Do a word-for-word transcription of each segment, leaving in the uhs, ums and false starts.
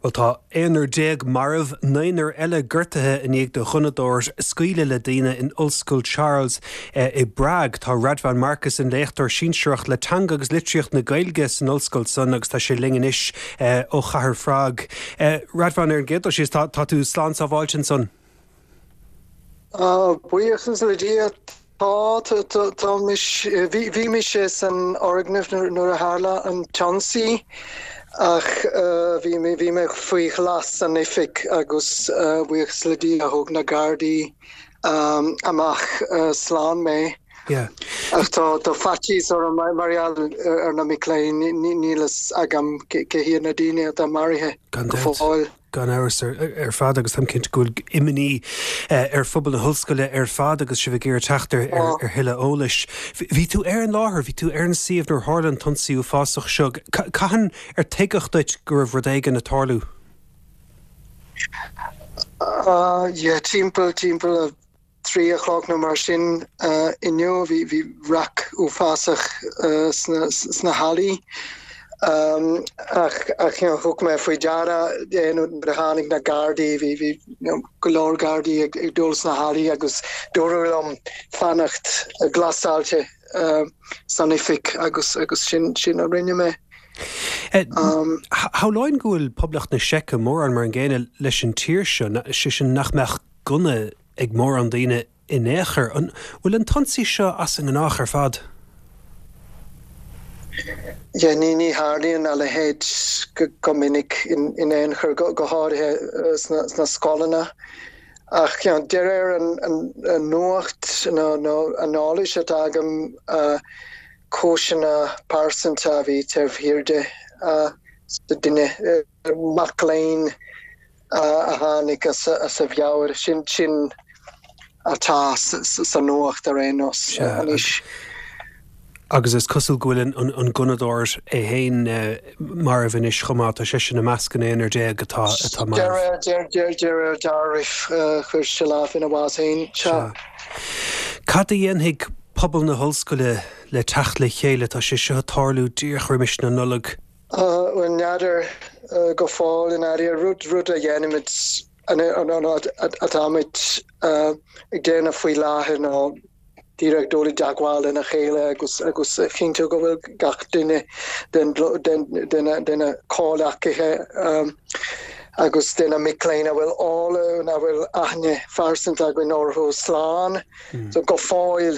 Bhuel tá aonrar déag marbh naonúr eile gortaithe i ndiaidh do ghunnadóir scaoileadh le daoine in Ollscoil Charles eh, i bPrág. Tá Radvan Markus ina léachtóir sinsearach le teanga agus litríocht na Gaeilge san ollscoil san agus tá sé linn anois eh, ó chathair Phrág. Eh, Radvan ar an gcéad dul síos tá tú slán sábháilte ansan. Buíochas le Dia tá tá bhí mise san fhoirgneamh nuair a tharla an t-ionsaí ach bhí bhí mé faoi ghlas san oifig agus buíochas le Dia thug na Gardaí amach slán mé. Ach tá tá faitíos orm mar gheall ar na mic léinn níl a fhios agam cé hiad na daoine atá maraithe go fóill. Gan amhras ar fad agus táim cinnte go bhfuil imní ar phobal na hollscoile ar fad agus sibh ag iarraidh teacht ar ar thuilleadh eolais. Bhí tú ar an láthair, bhí tú ar an suíomh nuair a tharla an t-ionsaí uafásach seo. Cathain ar tuigeadh duit go raibh rud éigin ag tarlú? Yeah, timpeall timpeall a trí a chlog nó mar sin inniu bhí bhí raic uafásach sna sna hallaí. Ach ach you know, thug mé faoi deara nuair a tháinig na Gardaí bhí bhí go leor Gardaí ag ag dul sna hallaí agus dúradh liom fanacht glasáilte san oifig agus agus sin sin a rinne mé. Shamhlóinn go bhfuil Poblacht na Seice mórán mar an gcéanna leis an tír seo, sé sin nach mbeadh gunna ag mórán daoine in aon chor. An bhfuil an t-ionsaí seo as an ngnách ar fad? Yeah, ní ní tharlaíonn a leithéid go, go minic in, in aon chor go, go háirithe sna, sna scoileanna. Ach you know, de réir an, an, an nuacht nó, nó an eolais atá agam uh, cúiseanna pearsanta a bhí taobh thiar de uh, duine uh, mac léinn uh, a tháinig as, as a mheabhair sin sin atá sa nuacht ar aon nós anois. Agus is cosúil go bhfuil an, an gunnadóir é féin marbh anois chomh maith tá sé sin i measc an aonrar déag atá atá marbh. Deir deir deir deirif chuir sé lámh ina bhás féin. Cad a dhéanfaidh pobal na hollscoile le teacht le chéile tá sé seo ag tarlú díreach roimis na Nollag. Bhuel n'fheadar go fóill in áirithe rud rud a dhéanaimid atáimid ag déanamh faoi láthair ná díreach dul i dteagmháil lena chéile agus agus cinntiú go bhfuil gach duine den den den de na comhghleacaithe agus de na mic léinn a bhfuil eolas a bhfuil aithne phearsanta againn orthu slán. So go fóill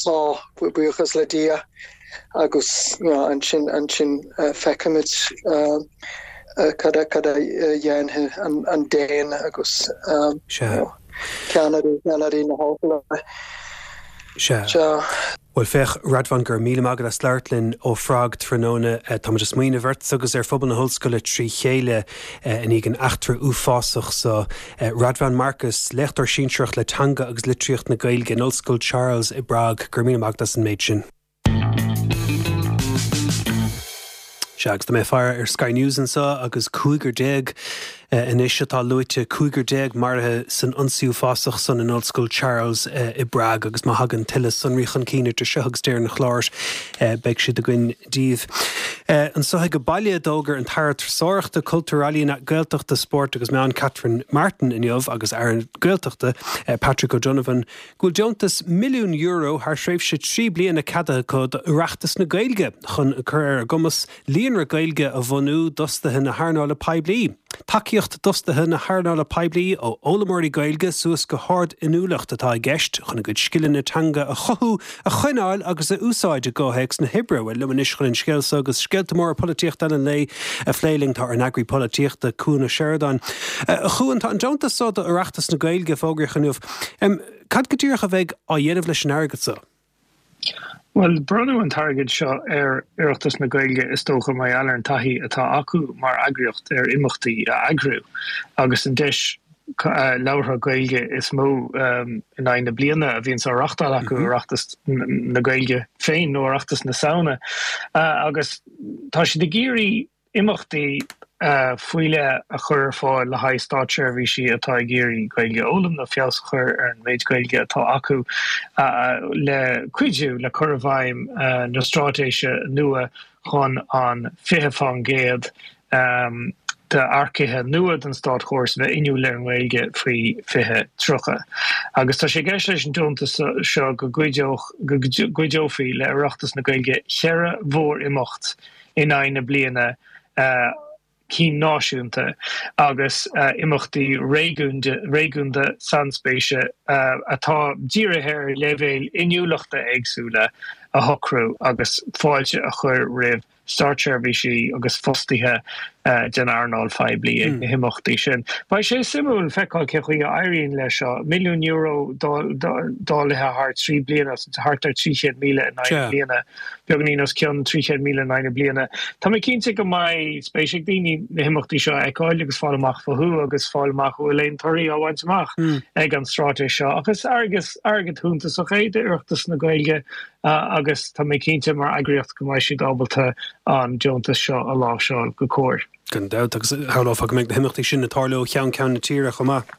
tá buíochas le Dia agus ansin ansin feicfimid cad cad a dhéanfaidh an an Déan agus ceannairí ceannairí na hollscoile. Sea. Bhuel féach Radvan go raibh míle maith agat as labhairt linn ó Phrág tráthnóna Táimid ag smaoineamh ort agus ar phobal na hollscoile trí chéile i ndiaidh an eachtra uafásach so Radvan Markus, léachtóir sinsearach le teanga agus litríocht na Gaeilge in Ollscoil Charles i bPrág, go raibh míle maith agat as an méid sin. Sea, agus tá mé ag faire ar Sky News anseo agus cúigear déag anois atá luaite, cúigear déag maraithe san ionsaí uafásach san in Ollscoil Charles i bPrág agus má thagann tuilleadh sonraí chun cinn idir seo agus deireadh an chláir beidh siad againn daoibh. Anseo ag baile d'fhógair an tAire Turasóireachta, Cultúir, Ealaíon, Gaeltachta, Spóirt agus Meán Catherine Martin inniu agus Aire Gaeltachta Patrick O'Donovan go bhfuil deontas milliún euro thar thréimhse trí bliana ceadaithe acu d'Oireachtas na Gaeilge chun cur ar a gcumas líonra Gaeilge a bhunú d'fhostaithe na hearnála poiblí. Tacaíocht d'fhostaithe na hearnála poiblí ó fhoghlaimeoirí Gaeilge suas go hard-inniúlacht atá i gceist chun a gcuid scileanna teanga a chothú, a choinneáil agus a úsáid i gcomhthéacs na hoibre. Bhuel liom anois chun an scéal seo agus scéalta móra polaitíochta eile an lae a phlé linn tá ár n-eagraí polaitíochta Cuan Ó Seireadáin. A Chuain, tá an deontas seo d'Oireachtas na Gaeilge fógraithe inniu. Cad go díreach a bheidh á dhéanamh leis an airgead seo? Bhuel, bronnadh an t-airgead seo ar Oireachtas na Gaeilge is dócha mar gheall ar an taithí atá acu mar eagraíocht ar imeachtaí a eagrú agus an deis labhartha Gaeilge is mó in aghaidh na bliana a bhíonns á reachtáil acu, Oireachtas na Gaeilge féin nó Oireachtas na Samhna. Agus tá siad ag iarraidh imeachtaí faoi leith a chur ar fáil le haghaidh státseirbhísí atá ag iarraidh Gaeilge a fhoghlaim nó feabhas a chur ar an méid Gaeilge atá acu le cuidiú le cur i bhfeidhm na straitéise nua chun an fiche faoin gcéad d'earcaithe nua don státchóras a bheith inniúil ar an nGaeilge faoi fiche tríocha. Agus tá sé i gceist leis an deontas seo go gcuideofaí le Oireachtas na Gaeilge cheithre mhór-imeacht in aghaidh na bliana, cinn náisiúnta agus imeachtaí réigiúnda sainspéise atá dírithe ar leibhéil inniúlachta éagsúla a shocrú agus fáilte a chur roimh státseirbhísigh agus fostaithe den earnáil phoiblí ag na himeachtaí sin. Beidh sé suimiúil feiceáil cén chaoi a éiríonn leis seo. Milliún euro dáilithe thar trí bliana, thart ar trí chéad míle in aghaidh na bliana, beagáinín os cionn trí chéad míle in aghaidh na bliana. Tá mé cinnte go mbeidh spéis ag daoine na himeachtaí seo a fheiceáil agus fáil amach fúthu agus fáil amach an bhfuil aon torthaí á bhaint amach ag an straitéis seo. Ach is airgead shuntasach é d'Oireachtas na Gaeilge agus tá mé cinnte mar eagraíocht go mbeidh siad ábalta an deontas seo a láimhseáil go cóir. Gan dabht, agus shamhlófá go mbeidh na himeachtaí sin ag tarlú ó cheann ceann na tíre chomh maith.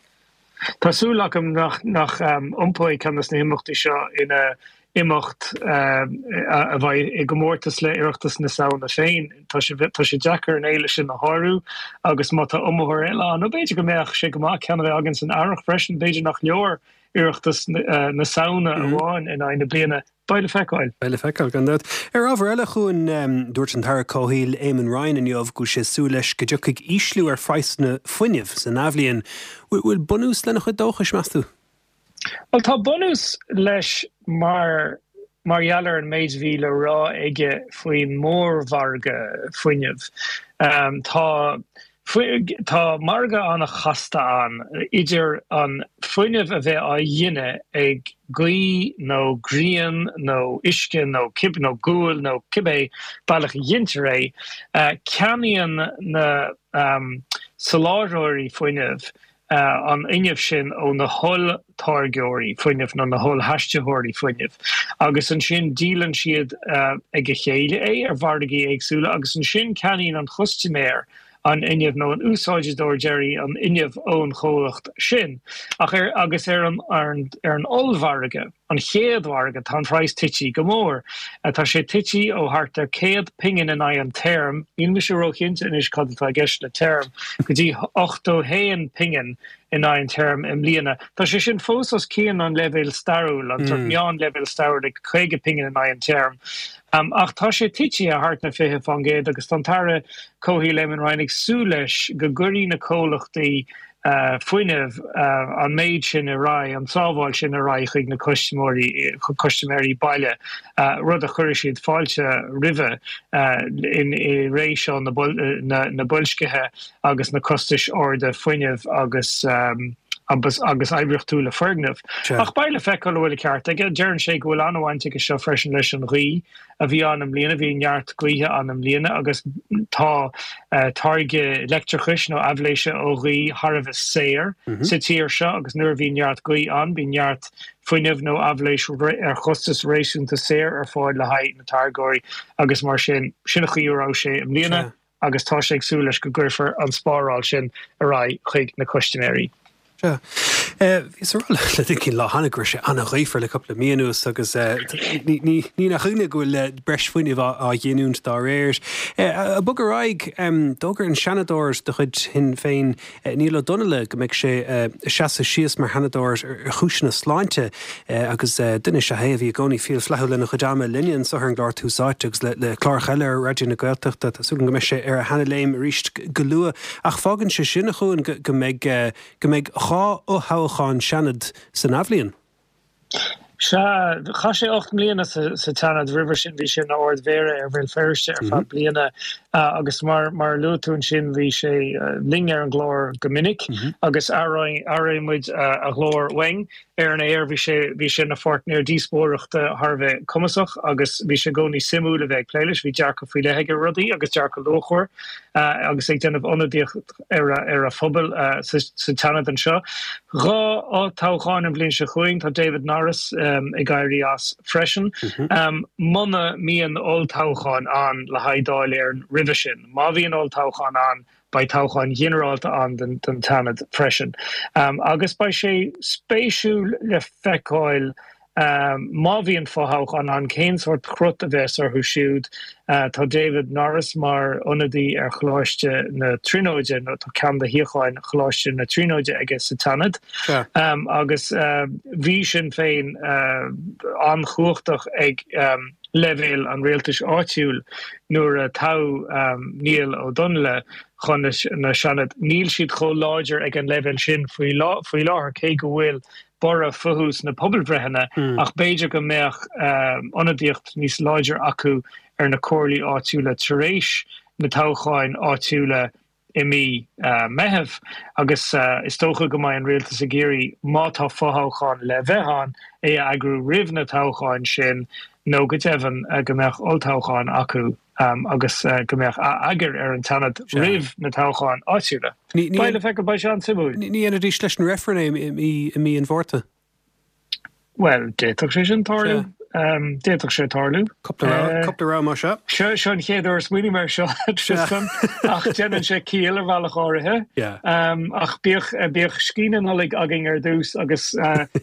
Tá súil agam nach nach iompóidh ceann de na himeachtaí seo ina imeacht a bheidh i gcomórtas le Oireachtas na Samhna féin. Tá sé tá sé deacair an fhéile sin a shárú agus má tá iomaitheoir eile ann, nó b'fhéidir go mbeadh sé go maith ceann a bheith againn san earrach freisin, b'fhéidir nach leor Oireachtas na Samhna amháin in aghaidh na bliana. Beidh le feiceáil. Beidh le feiceáil, gan dabht. Ar ábhar eile, a Chuain, dúirt an tAire Comhshaoil Eamon Ryan inniu go bhfuil sé ag súil leis go dtiocfaidh ísliú ar phraghsanna fuinnimh san athbhliain. Bhfuil bunús lena chuid dóchais, meas tú? Bhuel, tá bunús leis mar mar gheall ar an méid a bhí le rá aige faoin mórmhargadh fuinnimh. Tá Tá margadh an-chasta ann idir an fuinneamh a bheith á ghineadh ag gaoth nó grian nó uisce nó nó gual nó cibé bealach a ghintear é. Ceannaíonn na soláthróirí fuinnimh an fhuinneamh sin ó na holltáirgeoirí fuinnimh nó na hollaistritheoirí fuinnimh agus ansin díolann siad ag a chéile é ar mhargaí éagsúla agus ansin ceannaíonn an custaiméir an fhuinneamh nó an úsáideoir deiridh an fhuinneamh ón chomhlacht sin. Ach ar agus ar an ar an ar an ollmhargadh, an chéad mhargadh, tá an praghas tite go mór. Tá sé tite ó thart ar céad pingin in aghaidh an therm, níl mise róchinnte anois cad atá i gceist le therm, go dtí ochtó haon pingin in aghaidh an therm i mbliana. Tá sé sin fós os cionn an leibhéal stairiúil, an sórt meánleibhéal stairiúil ag caoga pingin in aghaidh an therm. Ach tá sé tite thart ar fiche faoin gcéad agus tá an tAire Comhshaoil Eamon Ryan ag súil leis go gcuirfidh na comhlachtaí fuinnimh an méid sin ar aghaidh, an tsábháil sin ar aghaidh chuig na custaiméirí, custaiméirí baile, rud a chuirfidh siad fáilte roimhe i ré seo na boilscithe agus na costais arda fuinnimh agus agus agus oibríochtúla foirgneamh. Ach beidh le feiceáil an bhfuil an ceart aige. Deireann sé go bhfuil an-bhaint aige seo freisin leis an ghaoth a bhí ann i mbliana. Bhí neart gaoithe ann i mbliana agus tá táirgeadh leictreachais nó aibhléise ó ghaoth thar a bheith saor sa tír seo agus nuair a bhíonn neart gaoth ann bíonn neart fuinneamh nó aibhléis ar chostas réasúnta saor ar fáil le haghaidh na táirgeoirí agus mar sin, sin an chaoi a raibh sé i mbliana. agus tá sé ag súil leis go gcuirfear an spáráil sin ar aghaidh chuig na custaiméirí. Sea. Bhíos ag rá le duine éicint lá cheana go raibh sé an-ghaofar le cúpla mí anuas agus ní nach ionadh go bhfuil breis fuinnimh á ghiniúint dá réir. Ag bogadh ar aghaidh, d'fhógair an Seanadóir de chuid Shinn Féin, Niall Ó Donnaile, go mbeidh sé ag seasamh síos mar Sheanadóir ar chúiseanna sláinte agus duine is ea é a bhí i gcónaí fial flaithiúil lena chuid ama linne anseo ar an gclár Tús Áite agus le cláracha eile ar Raidió na Gaeltachta. Tá súil agam go mbeidh sé ar a sheana-léim arís go luath. Ach fágann sé sin, a Chuain, go mbeidh go mbeidh dhá fhothoghchán Seanaid san athbhliain. Sea, chaith sé ocht mbliana sa tSeanad. Roimhe sin bhí sé ina Ard-Mhéara ar Bhéal Feirste ar feadh bliana agus mar mar a luaigh tú ansin bhí sé linn ar an gclár go minic agus aireoidh muid a ghlór uainn ar an aer. Bhí sé bhí sé ina pháirtnéir díospóireachta thar a bheith cumasach agus bhí sé i gcónaí suimiúil a bheith ag plé leis. Bhí dearcadh faoi leith aige ar rudaí agus dearcadh luachmhar agus ag déanamh ionadaíocht ar a ar a phobal sa tSeanad anseo. Dhá olltoghchán an bhliain seo chugainn, tá David Norris ag éirí as freisin. Muna mbíonn olltoghchán ann le haghaidh Dáil Éireann roimhe sin, má bhíonn olltoghchán ann, beidh toghchán ginearálta ann don tSeanad freisin. Agus beidh sé spéisiúil le feiceáil Má bhíonn fothoghchán ann, cén sórt crut a bheas orthu siúd? Tá David Norris mar ionadaí ar Choláiste na Tríonóide, nó tá ceann de shuíocháin Choláiste na Tríonóide aige sa tSeanad, agus bhí Sinn Féin an-chumhachtach ag leibhéal an rialtais áitiúil nuair a toghadh Niall Ó Donnghaile chun na Seanad. Níl siad chomh láidir ag an leibhéal sin faoi láthair, cé go bhfuil borradh fúthu sna pobalbhreitheanna, ach b'fhéidir go mbeadh ionadaíocht níos láidre acu ar na comhairlí áitiúla tar éis na toghcháin áitiúla i mí Meitheamh agus is dócha go mbeidh an rialtas ag iarraidh, má tá fothoghchán le bheith ann, é a eagrú roimh na toghcháin sin nó go deimhin go mbeadh olltoghchán acu agus go mbeadh eagar ar an tSeanad roimh na toghcháin áitiúla. Beidh le feiceáil, beidh sé an-suimiúil. Ní dhéanfaidís leis an reifreann é i mí an Mhárta? Bhuel, d'fhéadfadh sé sin tarlú. D'fhéadfadh sé tarlú. Cúpla rogha más ea. Seo an chéad uair a smaoiním air seo, Tristan, ach déanann sé ciall ar bhealach áirithe. Ach bíodh, bíodh scíth na Nollag againn ar dtús agus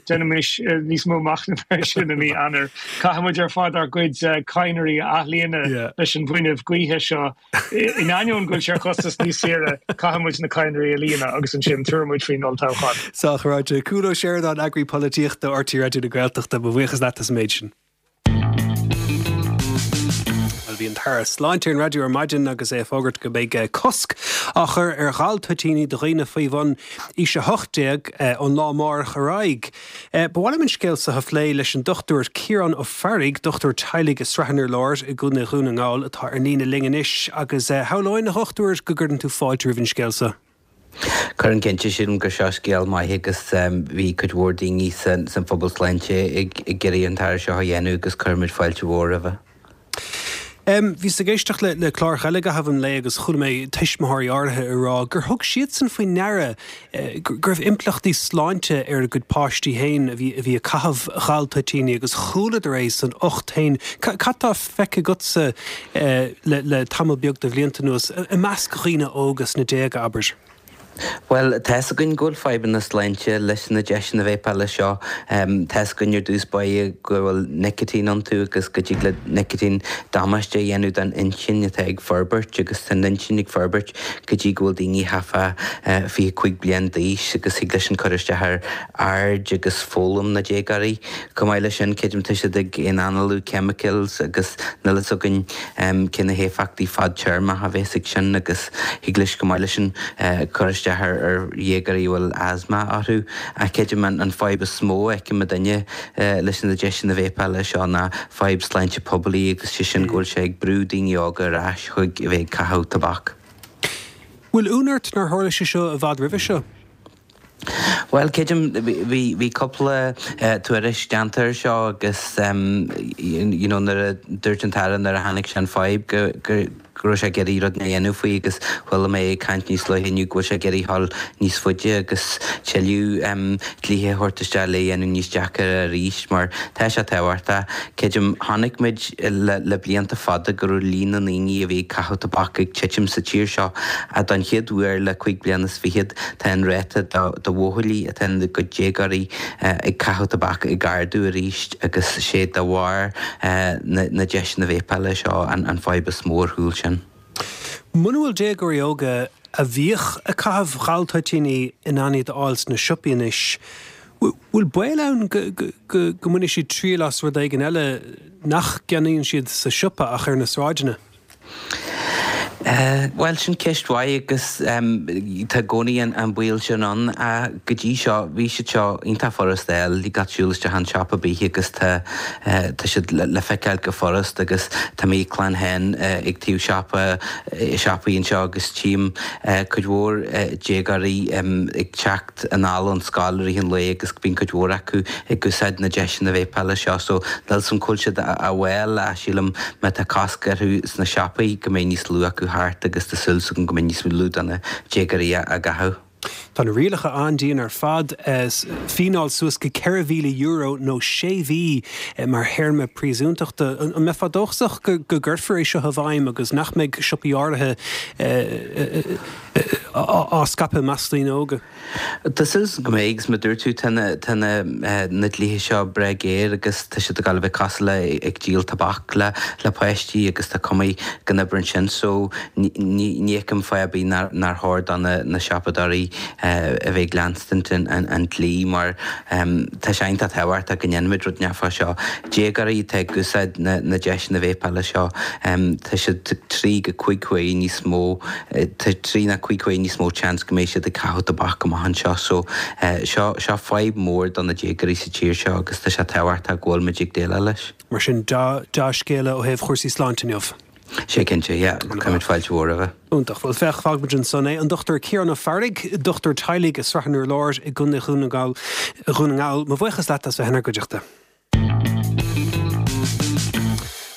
déanaimis níos mó machnaimh air sin i mí Eanáir. Caithfidh muid ar fad ár gcuid cadhnraí a athlíonadh leis an bhfuinneamh gaoithe seo. In ainneoin go bhfuil sé ar chostas níos saoire, caithfidh muid na cadhnraí a líonadh agus ansin tabharfaidh muid faoin olltoghchán. Sách ráite. Cúán Ó Seireadáin, Eagraí Polaitíochta R T É Raidió na Gaeltachta, mo bhuíochas leat as an méid sin. Bhuel, bhí an tAire Sláinte ar an raidió ar maidin agus é ag fógairt go mbeidh cosc á chur ar ghal-toitíní do dhaoine faoi bhun aois a hocht déag ón lá amárach ar aghaidh. Ba mhaith liom an scéal seo a phlé leis an Dochtúir Ciarán Ó Fearraigh, dochtúir teaghlaigh i Srath an Urláir i gContae Dhún na nGall atá ar líne linn anois agus shamhlóinn, a dhochtúir, go gcuireann tú fáilte roimh an scéal seo. Cuireann cinnte, sílim gur seo scéal maith agus bhí cuid mhór daoine san phobal sláinte ag iarraidh an t-athrú seo a dhéanamh agus cuirimid fáilte mhór roimhe. Bhíos ag éisteacht le le clár eile i gcaitheamh an lae agus chuala mé tuismitheoirí áirithe ag rá gur thug siadsan faoi ndeara go raibh impleachtaí sláinte ar a gcuid páistí féin a bhí a bhí ag caitheamh ghal-toitíní agus chualadar é san ucht féin. Cad tá feicthe agatsa le le tamall beag de bhlianta anuas i measc dhaoine óga sna déaga, abair? Bhuel, tá's againn go bhfuil fadhbanna sláinte leis na deiseanna véipeála seo. Tá's againn ar dtús báire go bhfuil nicitín iontu agus go dtig le nicitín damáiste a dhéanamh don intinn atá ag forbairt agus tá an intinn ag forbairt go dtí go bhfuil daoine thart fá fiche cúig bliain d'aois agus thig leis sin cur isteach ar aird agus foghlaim na déagóirí. Chomh maith leis sin, creidim tá siad ag análú chemicals agus níl fhios againn cé na héifeachtaí fadtéarmacha a bheas ag sin agus thig leis chomh maith leis sin cur isteach ar ar dhéagóirí a bhfuil asma orthu. Ach creidim an fadhb is mó a fheiceann muidinne leis na deiseanna véipeála seo ná fadhb sláinte poiblí agus sé sin go bhfuil sé ag brú daoine óga ar ais chuig a bheith ag caitheamh tobac. Bhfuil ionadh ort nár tharla sé seo i bhfad roimhe seo? Bhuel, creidim, bhí bhí cúpla tuairisc déanta air seo agus you know nuair a dúirt an tAire nuair a chonaic sé an fadhb go go go raibh sé ag iarraidh rud a dhéanamh faoi agus chuala mé ag caint níos luaithe inniu go bhfuil sé ag iarraidh dhul níos faide agus tuilleadh dlíthe a thabhairt isteach le dhéanamh níos deacair arís mar tá sé tábhachtach. Creidim, chonaic muid le le blianta fada go raibh líon na ndaoine a bhí ag caitheamh tobac ag titim sa tír seo ach don chéad uair le cúig bliana is fichead tá an ráta do bhuachaillí atá ina gcuid déagóirí ag caitheamh tobac ag ardú arís agus sé de bharr na deiseanna véipeála seo an fadhb is mó ar chúl sin. Muna bhfuil déagóirí óga a bhíodh ag caitheamh ghal-toitíní in ann iad a fháil sna siopaí anois, bhfuil baol ann go go mbainfidh siad triail as rud éigin eile nach gceannaíonn siad sa siopa ach ar na sráideanna? Bhuel, sin ceist mhaith agus tá i gcónaí an baol sin ann. Go dtí seo, bhí siad seo iontach furast a fháil, thig leat siúl isteach chun siopa ar bith agus tá tá siad le feiceáil go furast agus tá mo chlann féin ag taobh siopa, siopaí anseo agus tchím cuid mhór déagóirí ag teacht anall ón scoil i rith an lae agus bíonn cuid mhór acu ag úsáid na deiseanna véipeála seo so níl 'fhios a'm cá bhfuil siad a bhfáil ach sílim má tá cosc orthu sna siopaí go mbeidh níos lú acu thart agus tá súil agam go mbeidh níos lú de na déagóirí á gcaitheamh. Tá na rialacha an-dian ar fad fíneáil suas go ceithre mhíle euro nó sé mhí mar théarma príosúntachta. An mbeifeá dóchasach go gcuirfear é seo i bhfeidhm agus nach mbeidh siopaí áirithe á scaipeadh i measc daoine óga? Tá súil go mbeidh, agus mar a dúirt tú, tá na tá na na dlíthe seo breá géar agus tá siad ag dul a bheith cosúil le ag díol tobac le le páistí agus tá cuma go n-oibreann sin so ní ní fheicim fáth ar bith nár nár chóir do na na siopadóirí a bheith ag leanstaint an an an dlí mar tá sé iontach tábhachtach go ndéanfaimid rud inteacht fá seo. Déagóirí atá ag úsáid na na deiseanna véipeála seo tá siad trí go cúig huaire níos mó tá trí nó cúig huaire níos mó seans go mbeidh siad ag caitheamh tobac amach anseo so seo seo fadhb mhór do na déagóirí sa tír seo agus tá sé tábhachtach go bhfuil muid ag déileáil leis. Mar sin dea-scéala ó thaobh chúrsaí sláinte inniu. Sé cinnte, yeah, cuirimid fáilte mhór roimhe. Iontach. Bhuel, féach, fágfaimid ansan é. An Dochtúir Ciarán Ó Fearraigh, dochtúir teaghlaigh i Srath an Urláir i gContae Dhún na nGall, Dhún na nGall. Mo bhuíochas leat as bheith inár gcuideachta.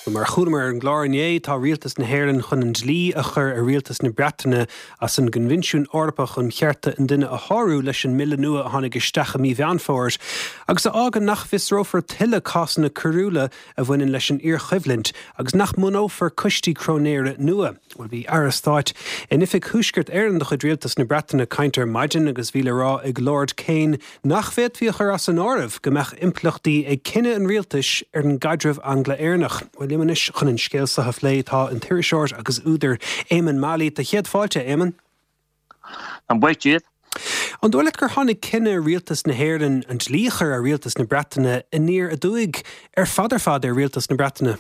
Bhuel, mar a chualamar ar an gclár inné, tá Rialtas na hÉireann chun an dlí a chur ar Rialtas na Breataine as an gCoinbhinsiún Eorpach um Chearta an Duine a shárú leis an mbille nua a tháinig isteach i mí Mheán Fómhair agus a fhágann nach bhfiosrófar tuilleadh cásanna coiriúla a bhaineann leis an iarchoimhlint agus nach mbunófar coistí cróinéara nua. Bhuel, bhí Aire Stáit in Oifig Thuaisceart Éireann de chuid Rialtas na Breataine ag caint ar maidin agus bhí le rá ag Lord Kane nach bhféadfaí a chur as an áireamh go mbeadh impleachtaí ag cinneadh an rialtais ar an gcaidreamh Angla-Éireannach. Bhuel, liom anois chun an scéal seo a phlé tá an t-iriseoir agus údar Éamonn Mallie. Tá céad fáilte, Éamonn. An buíoch díot. An dóigh leat gur tháinig cinneadh Rialtas na hÉireann an dlí a chur ar Rialtas na Breataine aniar aduaidh ar fad ar fad ar Rialtas na Breataine?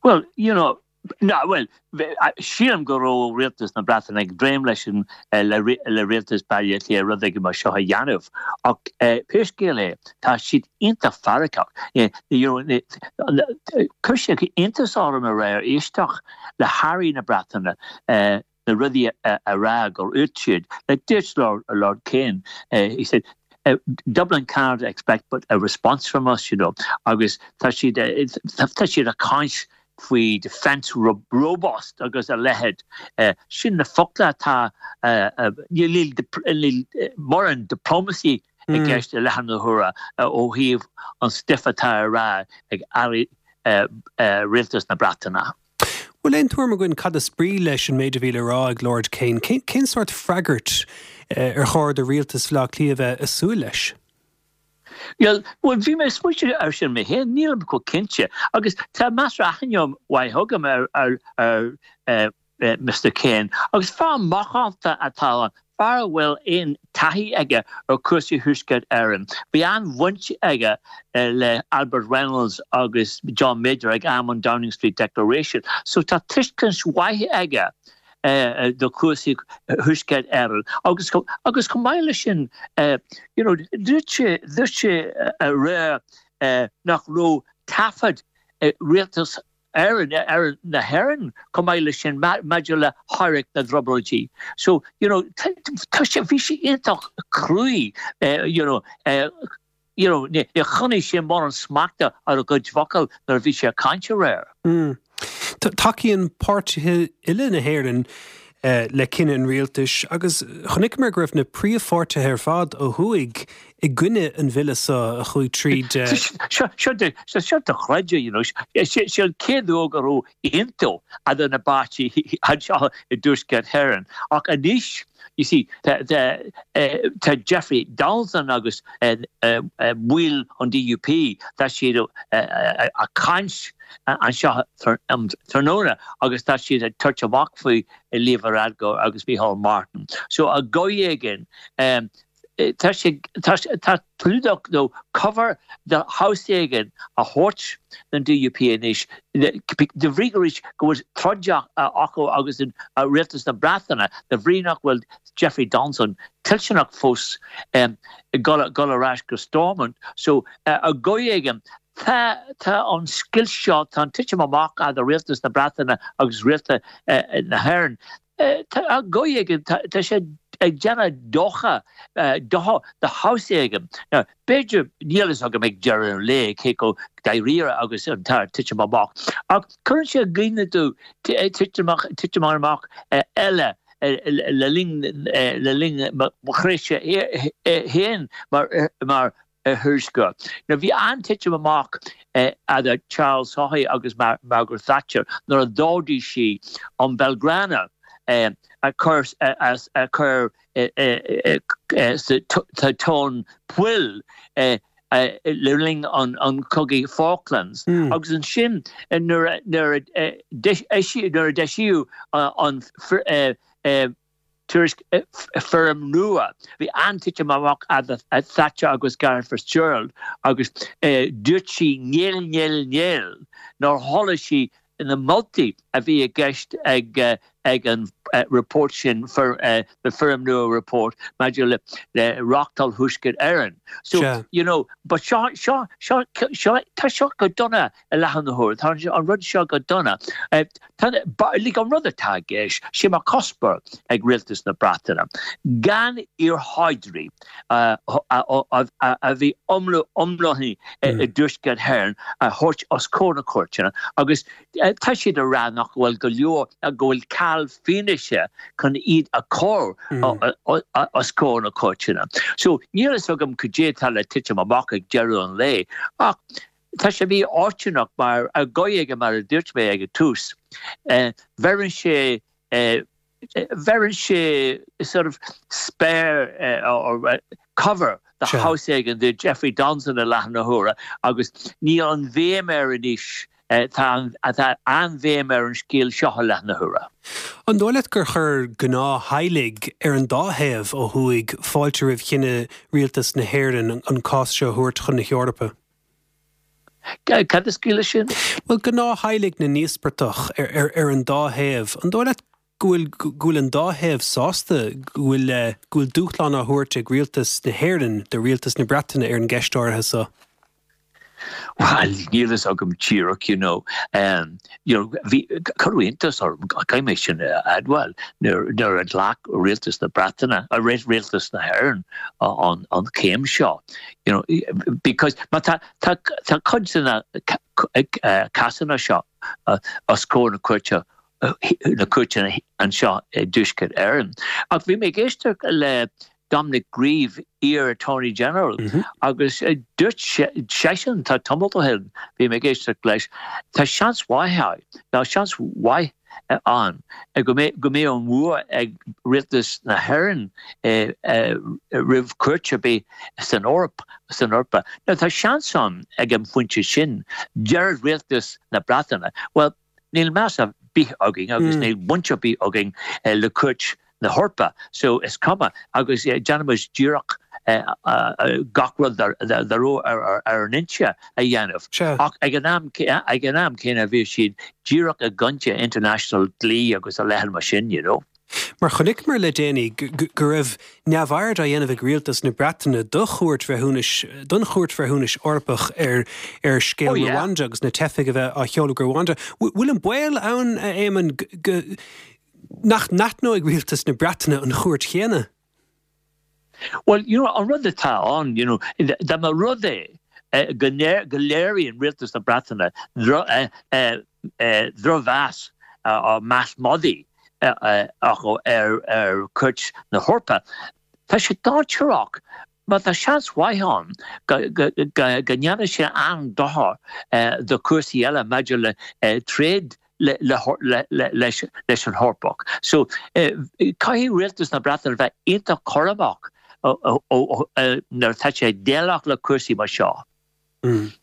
Well, you know, no, well, sílim go raibh rialtas na Breataine ag dréim leis an le, le rialtas Baile Átha Cliath rud éigin mar seo a dhéanamh ach pé scéal é tá siad iontach faireachach. Chuir sé iontas orm aréir éisteacht le hairí na Breataine na rudaí a rá gur dúirt siad like dúirt Lord, Lord Kane uh, he said uh, Dublin can't expect but a response from us you know agus tá siad tá siad ag caint faoi defence robust agus a leithéid uh, sin na focla atá uh, uh, níl mórán diplomacy i gceist i láthair na huaire ó thaobh an stuif atá á rá ag airí rialtas na Breataine. Bhfuil aon tuairim againn cad is brí leis an méid a bhí le rá ag Lord Kane. Cén, cén sórt freagairt ar chóir do rialtas Bhaile Átha Cliath bheith ag súil leis? Well, well bhí mé smaoineamh ar sin mé féin nílim chomh cinnte agus tá meas aithne mhaith agam ar ar ar uh, uh, Mr Kane agus fear macánta atá ann fear a bhfuil aon taithí aige ar chúrsaí Thuaisceart Éireann. Bhí an-bhaint aige uh, le Albert Reynolds agus John Major ag am an Downing Street Declaration, so tá tuiscint mhaith aige uh, do chúrsaí Thuaisceart Éireann agus agus chomh maith leis sin uh, you know, dúirt sé dúirt sé aréir uh, nach raibh taifead uh, rialtas Éireann ar na hÉireann chomh maith leis sin maidir le héiric na dTrioblóidí. So you know, tá sé bhí sé iontach cruaidh uh, you know, uh, you know, ní choinnigh sé mórán smachta ar a chuid focal nuair a bhí sé ag caint aréir. Mm. Tacaíonn páirtithe uile na hÉireann uh, le cinneadh an rialtais agus chonaiceamar go raibh na príomhpháirtithe ar fad ó thuaidh i gcoinne an bhille seo a chuaigh tríd. Seo dochreidte you know, sé an chéad uair go raibh aontú idir na páirtithe anseo i dTuaisceart Éireann. Ach anois you see tá Jeffrey Donaldson agus baill an DUP tá siad ag caint anseo tráthnóna agus tá siad ag tabhairt amach faoi Leo Varadkar agus Micheál Martin. So ar dhóigh éigin tá sé tá clúdach nó cover de shaghas éigin a thabhairt don DUP anois de bhrí go go bhfuil troid acu agus an rialtas na Breataine de bhrí nach bhfuil Jeffrey Donaldson toilteanach fós dul ar ais go Stormont so ar dhóigh éigin Tá tá an scoilt seo tá an titim amach idir rialtas na Breataine agus rialtas na hÉireann. Ar dhóigh éigin tá sé ag déanamh dochar do de shaghas éigin. B'fhéidir níl a fhios agam ag deireadh an lae cé chomh dáiríre agus atá an titim amach. Ach cuireann sé i gcuimhne tú titim amach eile le linn le linn mo thréimhse féin mar mar thuairisceoir. Now bhí an-titim amach idir Charles Haughey agus Margaret Thatcher nuair a d'ordaigh sí an Belgrano a chur a chur sa tóin poill le linn an an cogaidh Falklands agus ansin nuair nuair a nuair a d'eisíodh an tuairisc foirm nua. Bhí an-titim amach idir Thatcher agus Garret Fitzgerald agus dúirt sí níl níl níl nár thoiligh sí na moltaí a bhí i gceist ag ag an report sin for uh, the Foirm Nua report maidir le le reachtáil Thuaisceart Éireann. So Sea. you know, but seo seo seo seo tá seo go dona i láthair na huaire tá an rud seo go dona. Uh, tá like an rud atá i gceist sé mar cuspóir ag rialtas na Breataine. Gan iarshaighdiúirí uh, a bhí iomlánaithe i dTuaisceart Éireann a thabhairt os comhair na cúirteanna agus tá siad a rá nach bhfuil go leor go bhfuil ceal fianaise chun iad a chur os comhair na cúirteanna. So níl a fhios agam cad é atá le titim amach ag deireadh an lae ach tá sé mífhortúnach mar a goige mar a dúirt mé ag an tús. Bheireann sé bheireann sé sort of spare uh, or uh, cover the Sure. house éigin de Jeffrey Donson i láthair na huaire agus níl an bhéim air anois tá atá an-bhéim ar an scéal seo i láthair na huaire. An dóigh leat gur chuir gnáth-theaghlaigh ar an dá thaobh ó thuaidh fáilte roimh chinneadh rialtas na hÉireann an cás seo a thabhairt chun na hEorpa. Cad is scéal sin? Well gnáth-theaghlaigh na n-íospartach ar, ar, ar an dá thaobh. An dóigh leat go bhfuil go bhfuil an dá thaobh sásta go bhfuil eh, go bhfuil dúshlán á thabhairt ag rialtas na hÉireann do rialtas na Breataine ar an gceist áirithe seo. Well, níl a fhios agam díreach you know um, you know bhí chuiontas or mé sin adhil nuair a ghlac rialtas na Breataine a ré rialtas na hÉireann an an céim seo you know because má tá tá tá cuid de na cásanna seo os comhair na cúirte na cúirte anseo i dTuaisceart Éireann. Ach bhí mé ag éisteacht le Dominic Grieve iar Attorney General mm -hmm. agus uh, dúirt seisean tá tamall ó shin bhí mé ag éisteacht leis tá seans mhaith tá seans mhaith ann go go mbeidh an bua ag rialtas na hÉireann roimh chúirt ar bith san Eoraip san Eorpa. Now tá seans ann ag an phointe sin deir rialtas na Breataine. Well níl meas ar bith againn agus mm. níl baint ar bith againn le cúirt na hEorpa, so is cuma agus déanaimis díreach gach rud ar ar ar an inse a dhéanamh. Ach ag an am ag an am céanna bhí siad díreach i gcoinne international dlí agus a leithéid mar sin, you know. Mar chonaiceamar le déanaí go raibh neamhaird á dhéanamh ag rialtas na Breataine do chúirt bhreithiúnais don chúirt bhreithiúnais Eorpach ar ar scéal oh, yeah. Rwanda agus na teifigh a bheith á sheoladh go Rwanda. Bhfuil an baol ann Éamonn nach n-aithneoidh rialtas na Breataine an chúirt chéanna? Well, you know, an rud atá ann, you know, dá mba rud é go go léiríonn rialtas na Breataine drochmheas á meas magaidh acu ar ar cúirt na hEorpa. Tá sé dainséarach mar tá seans mhaith ann go ndéanfaidh sé an-dochar do chúrsaí eile maidir le trade le le le leis leis an Eorpach. So caithfidh rialtas na Breataine bheith iontach cúramach nuair atá sé déileáil le cúrsaí mar seo. Mm.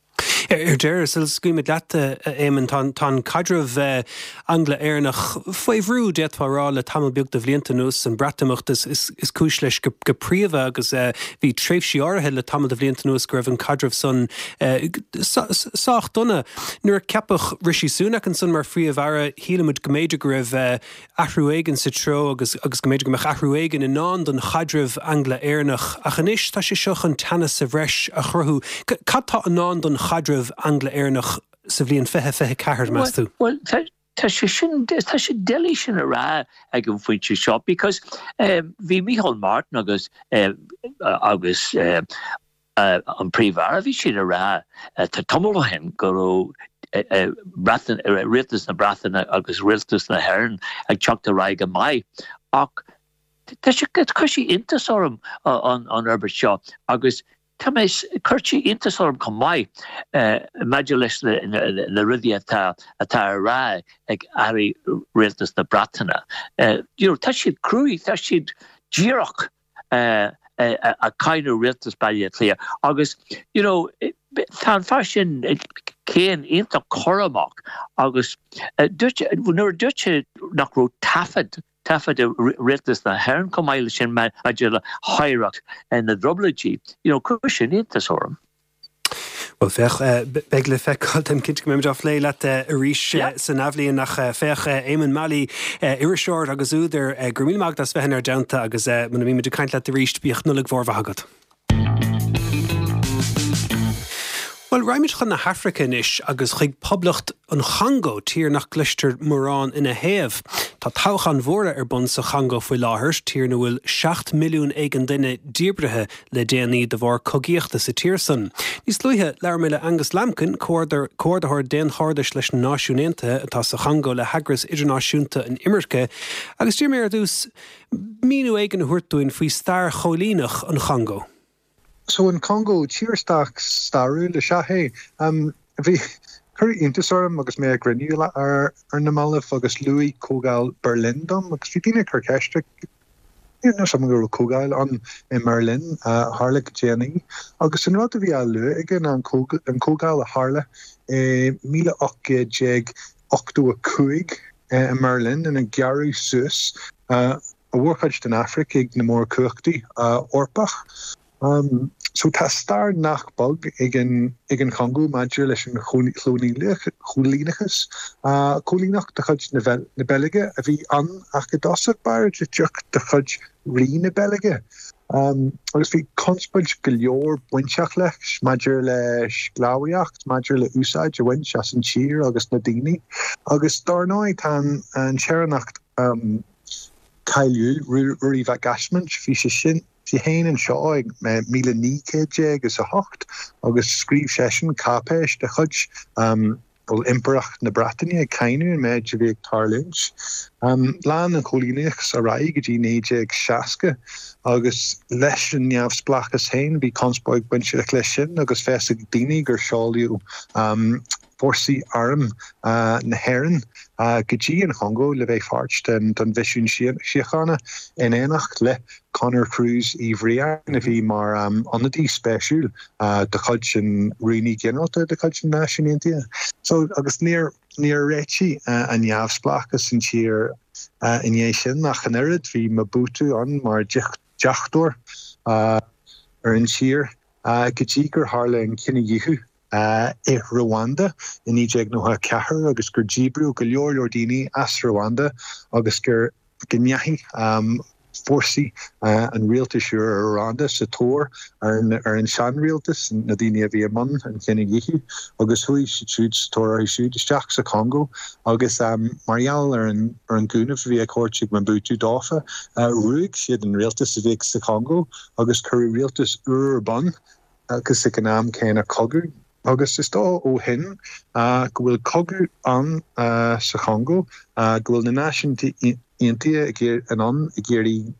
Ar deireadh sula scaoilimid leat Éamonn tá caidreamh Angla-Éireannach faoi bhrú d'fhéadfá rá le tamall beag de bhlianta anuas an Breatimeacht is, is, is cúis leis go, go príomha agus uh, bhí tréimhsí áirithe le tamall de bhlianta anuas go raibh an caidreamh san uh, sách dona. Nuair a ceapadh Rishi Sunak ansan mar phríomh-aire shíl muid go mb'fhéidir go raibh uh, athrú éigin sa treo agus agus go mb'fhéidir go mbeadh athrú éigin i ndán don chaidreamh Angla-Éireannach ach anois tá sé seo chun teannas sa bhreis a chruthú. Cad tá i ndán don chaidreamh Angla-Éireannach sa bhliain fiche fiche ceathair meas tú? Well, tá sé sin tá sé doiligh sin a rá ag an phointe seo because um, bhí Micheál Martin agus uh, agus uh, uh, an príomh-aire bhí siad a rá uh, tá tamall ó shin go raibh Breatain, rialtas na Breataine agus rialtas na hÉireann ag teacht ar aghaidh go maith ach tá sé chuir sé iontas orm an an fhorbairt seo agus tá mé chuir sé iontas orm chomh maith maidir leis na rudaí atá atá á rá ag airí rialtas na Breataine. You know, tá siad cruaidh, tá siad díreach ag cáineadh rialtas Baile Átha Cliath agus you know, tá an fear sin Caine iontach cúramach agus nuair a dúirt sé nach raibh taifead taifead ag rialtas na hÉireann chomh maith leis sin maidir le hoidhreacht na dTrioblóidí, you know, chuir sin iontas orm. Bhuel féach, beidh le feiceáil, táim cinnte go mbeimid á phlé leat arís san athbhliain ach féach Éamonn Mallie, iriseoir agus údar, go raibh míle maith agat as bheith inár dteannta agus muna mbímid ag caint leat arís, bíodh Nollaig mhór mhaith agat. Bhuel, raghaimid chun na hAfraice anois agus chuig Poblacht an Chongó, tír nach gcloistear mórán ina thaobh. Tá toghcháin mhóra ar bun sa Chongó faoi láthair, tír ina bhfuil seacht milliún éigin duine díbrithe le déanaí de bharr cogaíochta sa tír san. Níos luaithe, labhair mé le Angus Lambkin, Comhordaitheoir Daonchairdis leis na Náisiúin Aontaithe atá sa Chongó le hEagras Idirnáisiúnta an Imirce, agus d'iarr mé air ar dtús míniú éigin a thabhairt dúinn faoi stair choilíneach an Chongó. So an Congó, tír stairiúil is ea é. Bhí, cuireadh iontas orm agus mé ag cruinniú ar na mallaibh agus luadh Comhdháil Berlin dom agus bhí daoine ag cur ceiste, níl a fhios agam go raibh comhdháil ann i mBerlin a tharla go déanaí agus an rud a bhí á lua aige ná an comhdháil a tharla i míle ocht gcéad déag ochtó a cúig i mBerlin ina gearradh suas a mhórchuid den Afraic ag na mórchumhachtaí Eorpach. So tá stair nach beag ag an ag an Chongó maidir leis an choilíneachas. Coilíneacht de chuid na Beilge a bhí ann ach i dtosach báire de chuid Rí na Beilge. Agus bhí conspóid go leor bainteach leis maidir le sclábhaíocht, maidir le úsáid a bhaint as an tír agus na daoine. Agus dar ndóigh tá an saoránach cáiliúil, Ruairí Mhac Easmaint, bhí sé sin, bhí sé féin anseo ag míle naoi gcéad déag is a hocht agus scríobh seisean cáipéis de chuid bhuel, Impireacht na Breataine ag cáineadh an méid a bhí ag tarlúint. Lean an choilíneachas ar aghaidh go dtí naoi déag seasca agus leis an neamhspleáchas féin bhí conspóid bainteach leis sin agus fios ag daoine gur seoladh fórsaí airm na hÉireann go dtí an Chongó le bheith páirt den mhisiún síochána in éineacht le Conor Cruise Uí Bhriain a bhí mar ionadaí speisiúil de chuid an Rúnaí Ginearálta de chuid na Náisiún Aontaithe. So agus níor níor réitigh an neamhspleáchas an tír i ndiaidh sin ach an oiread, bhí Mobutu ann mar deachtóir ar an tír go dtí gur tharla an cinedhíothú i Rwanda i naoi déag nócha a ceathair agus gur díbríodh go leor leor daoine as Rwanda agus gur go ndeachaigh fórsaí an rialtais úr i Rwanda sa tóir ar ar an seanrialtas, na daoine a bhí i mbun an chinedhíothú agus chuaigh siad siúd sa tóir orthu siúd isteach sa Chongó agus mar gheall ar an ar an gcúnamh a bhí á thabhairt ag Mobutu dófa, ruaig siad an rialtas a bhí sa Chongó agus cuireadh rialtas úr ar bun. agus ag an am céanna cogadh. Agus is dóigh ó shin go bhfuil cogadh ann sa Chongó, go bhfuil na Náisiúin Aontaithe in ann ag iarraidh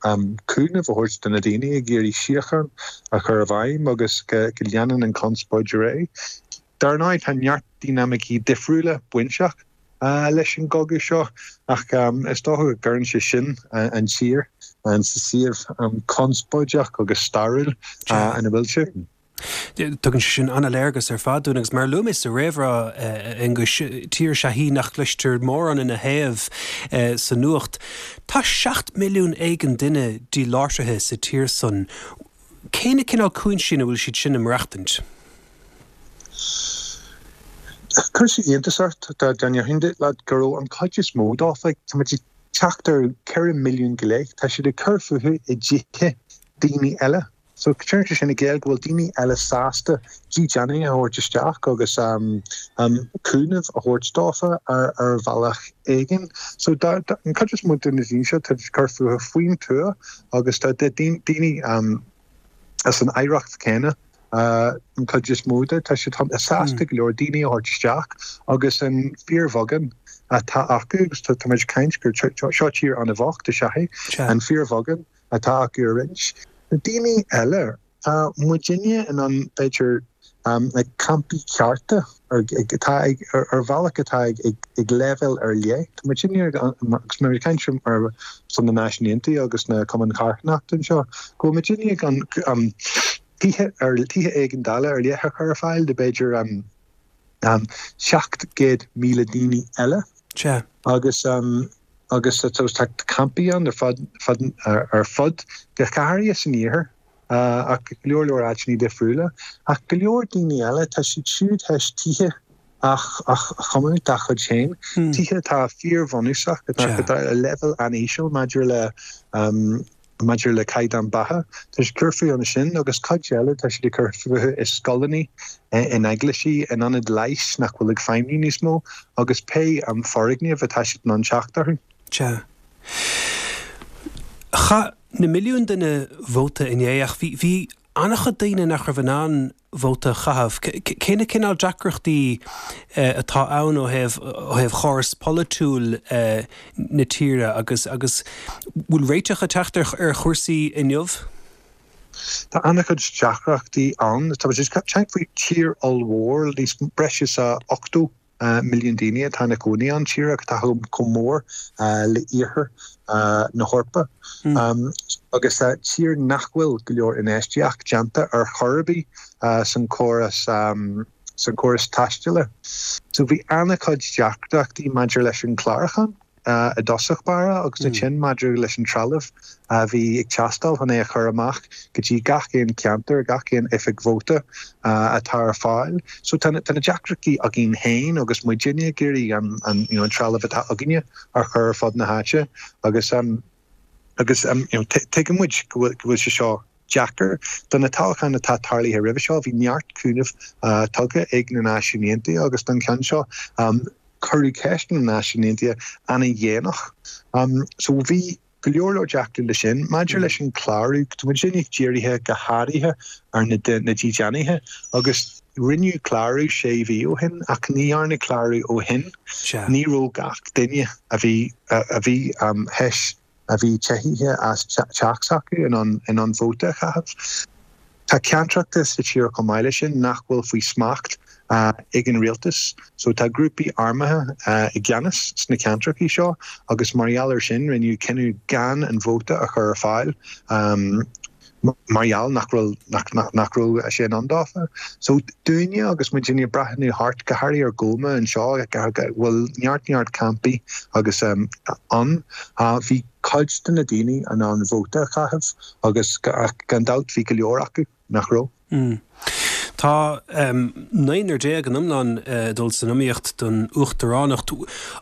cúnamh a thabhairt do na daoine, ag iarraidh síocháin a chur i bhfeidhm agus go leanann an chonspóid ar aghaidh. Dar ndóigh tá neart dinimicí difriúla bainteach leis an gcogadh seo ach is dócha go gcuireann sé sin an tír sa suíomh conspóideach agus stairiúil ina bhfuil sé. Tugann sé sin an-léargas ar fad dúinn agus mar a luaigh mé sa réamhrá, a Aonghuis, tír is ea í nach gcloistear mórán ina thaobh sa nuacht. Tá seacht milliún éigin duine díláithrithe sa tír san. Cé na cineál cúinsí ina bhfuil siad sin ag maireachtaint? Chuir sé iontas ort dá ndéarfainn leat go raibh an chuid is mó dófa, tá muid ag teacht ar ceithre milliún go leith, tá siad ag cur fúthu i dtithe daoine eile. So cuireann sé sin i gcéill go bhfuil daoine eile sásta dídeánaithe a thabhairt isteach agus cúnamh a thabhairt dófa ar ar bhealach éigin. So an chuid is mó de na daoine seo tá ag cur fúthu faoin tuath agus tá daoine as an oidhreacht céanna an chuid is mó de, tá siad sásta go leor daoine a thabhairt isteach agus an fíorbheagán atá acu, agus tá muid ag caint gur seo tír an-bhocht is ea é, an fíorbheagán atá acu a roinnt. Na daoine eile, tá muidinne in ann b'fhéidir like campaí cearta atá ag ar bhealach atá ag ag leibhéal ar leith. Tá muidinne agus muid ag caint ar son na Náisiún Aontaithe agus na Cumainn Charthanachta anseo, go bhfuil muidinne ag tithe ar tithe éigeandála ar leith a chur ar fáil do b'fhéidir seacht gcéad míle daoine eile. Sea. Agus agus tá campaí ann ar fud ar fud go háirithe san iarthar ach go leor leor áiteanna difriúla. Ach go leor daoine eile, tá siad siúd théis tithe a chumadh dá chuid féin, tithe atá fíorbhunúsach, atá ar leibhéal an-íseal maidir le maidir le caighdeán beatha. Tá siad ag cur fúthu ansin agus cuid eile tá siad ag cur fúthu i scoileanna, in eaglaisí, in ionaid leighis nach bhfuil ag feidhmiú níos mó agus pé foirgneamh atá siad in ann teacht orthu. Sea. Chaith na milliúin duine vóta inné ach bhí bhí an-chuid daoine nach raibh in ann vóta a chaitheamh. Cé na cineál deacrachtaí atá ann ó thaobh ó thaobh chóras polaitiúil na tíre agus agus bhfuil réiteach ag teacht ar ar chúrsaí inniu? Tá an-chuid deacrachtaí ann. Tá muid ag caint faoi tír ollmhór, níos breis is ochtó milliún daoine atá ina gcónaí ann, tír atá chomh mór le iarthar na hEorpa agus tír nach bhfuil go leor infheistíocht déanta ar chor ar bith san córas san córas taistil. So bhí an-chuid deacrachtaí maidir leis an clárúchán. i dtosach báire agus ansin maidir leis an trealamh a bhí ag teastáil chun é a chur amach go dtí gach aon cheantar, gach aon oifig vóta atá ar fáil. So tá na deacrachtaí againn féin agus muidinne ag iarraidh an an you know an trealamh atá againne a chur ar fud na háite agus agus you know tuigeann muid go bhfuil go bhfuil sé seo deacair. Do na toghcháin atá tarlaithe roimhe seo bhí neart cúnamh tugtha ag na Náisiúin Aontaithe agus don cheann seo cuireadh ceist na Náisiún Aontaithe an-dhéanach. So bhí go leor leor deacrachtaí leis sin. Maidir leis an clárú, tá muid dírithe go háirithe ar na na dídeanaithe agus rinneadh clárú sé mhí ó shin ach ní dhearnadh clárú ó shin. Ní raibh gach duine a bhí a bhí théis a bhí teithithe as teach s'acu in ann in ann vóta a chaitheamh. Tá ceantracha sa tír chomh maith leis sin nach bhfuil faoi smacht ag an rialtas. So tá grúpaí armtha i gceannas sna ceantracha seo agus mar gheall air sin rinneadh cinneadh gan an vóta a chur ar fáil mar gheall nach raibh nach raibh sé in ann dófa. So dúinne agus muidinne ag breathnú thart go háirithe ar Goma anseo go bhfuil neart neart campaí agus ann bhí cuid de na daoine in ann vóta a chaitheamh agus gan dabht bhí go leor acu nach raibh. Tá naonúr déag in iomlán ag dul san iomaíocht don uachtaránacht.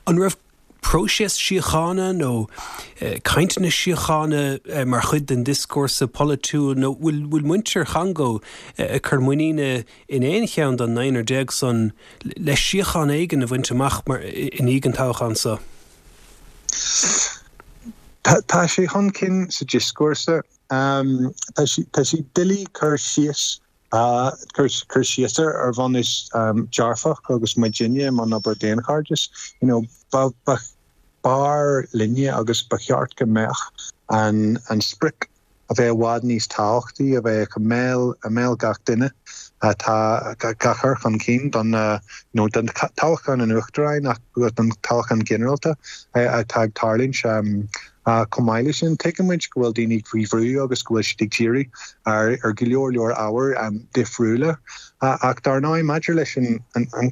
An raibh próiseas síochána nó cainteanna síochána mar chuid den dioscúrsa polaitiúil nó bhfuil bhfuil muintir Chongó ag cur muiníne in aon cheann den naonúr déag san le síocháin éigin a bhaint amach mar i ndiaidh an toghcháin seo? Tá sé chun cinn sa dioscúrsa. Tá sé doiligh cur síos cur síos air ar bhunús dearfach agus muidinne i mbun obair daonchairdis. You know, ba b'fhearr linne agus ba cheart go mbeadh an an sprioc a bheith i bhfad níos tábhachtaí, a bheith i mbéal i mbéal gach duine atá á chur chun cinn don you know, don toghchán an uachtaráin ach don toghchán ginearálta atá ag tarlúint. Chomh maith leis sin, tuigeann muid go bhfuil daoine faoi bhrú agus go bhfuil siad ag díriú ar go leor leor ábhair difriúla. Ach dar ndóigh, maidir leis an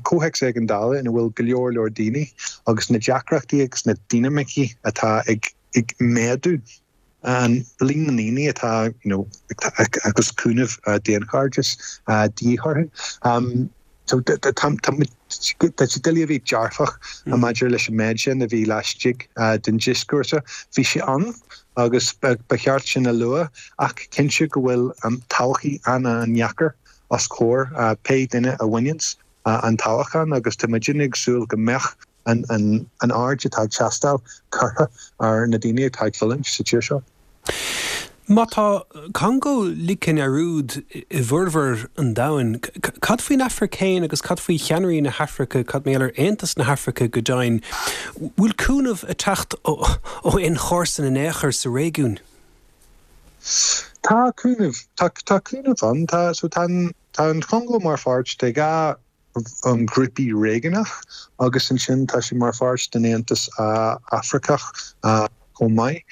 comhthéacs éigeandála ina bhfuil go leor leor daoine agus na deacrachtaí agus na dinimicí atá ag méadú, an líon na ndaoine atá you know agus cúnamh daonchairdis de dhíth orthu. So tá sé doiligh a bheith dearfach maidir leis an méid sin a bhí laistigh den dioscúrsa. Bhí sé ann agus ba cheart sin a lua ach cinnte go bhfuil todhchaí an-an-dheacair os comhair pé duine a bhaineanns an toghchán agus tá muidinne ag súil go mbeadh an aird atá ag teastáil curtha ar na daoine atá ag fulaingt sa tír seo. Má tá Congó ligthe i ndearúd i bhformhór an domhain, cad faoin Afraic féin agus cad faoi cheannairí na hAfraice, cad mar gheall ar Aontas na hAfraice go deimhin? Bhfuil cúnamh ag teacht ó aon chomharsan in aon chor sa réigiún? Tá cúnamh, tá cúnamh ann. Tá, so tá an, tá an Chongó mar pháirt de dhá ghrúpaí réigiúnach agus ansin tá sé mar pháirt den Aontas Afracach chomh maith.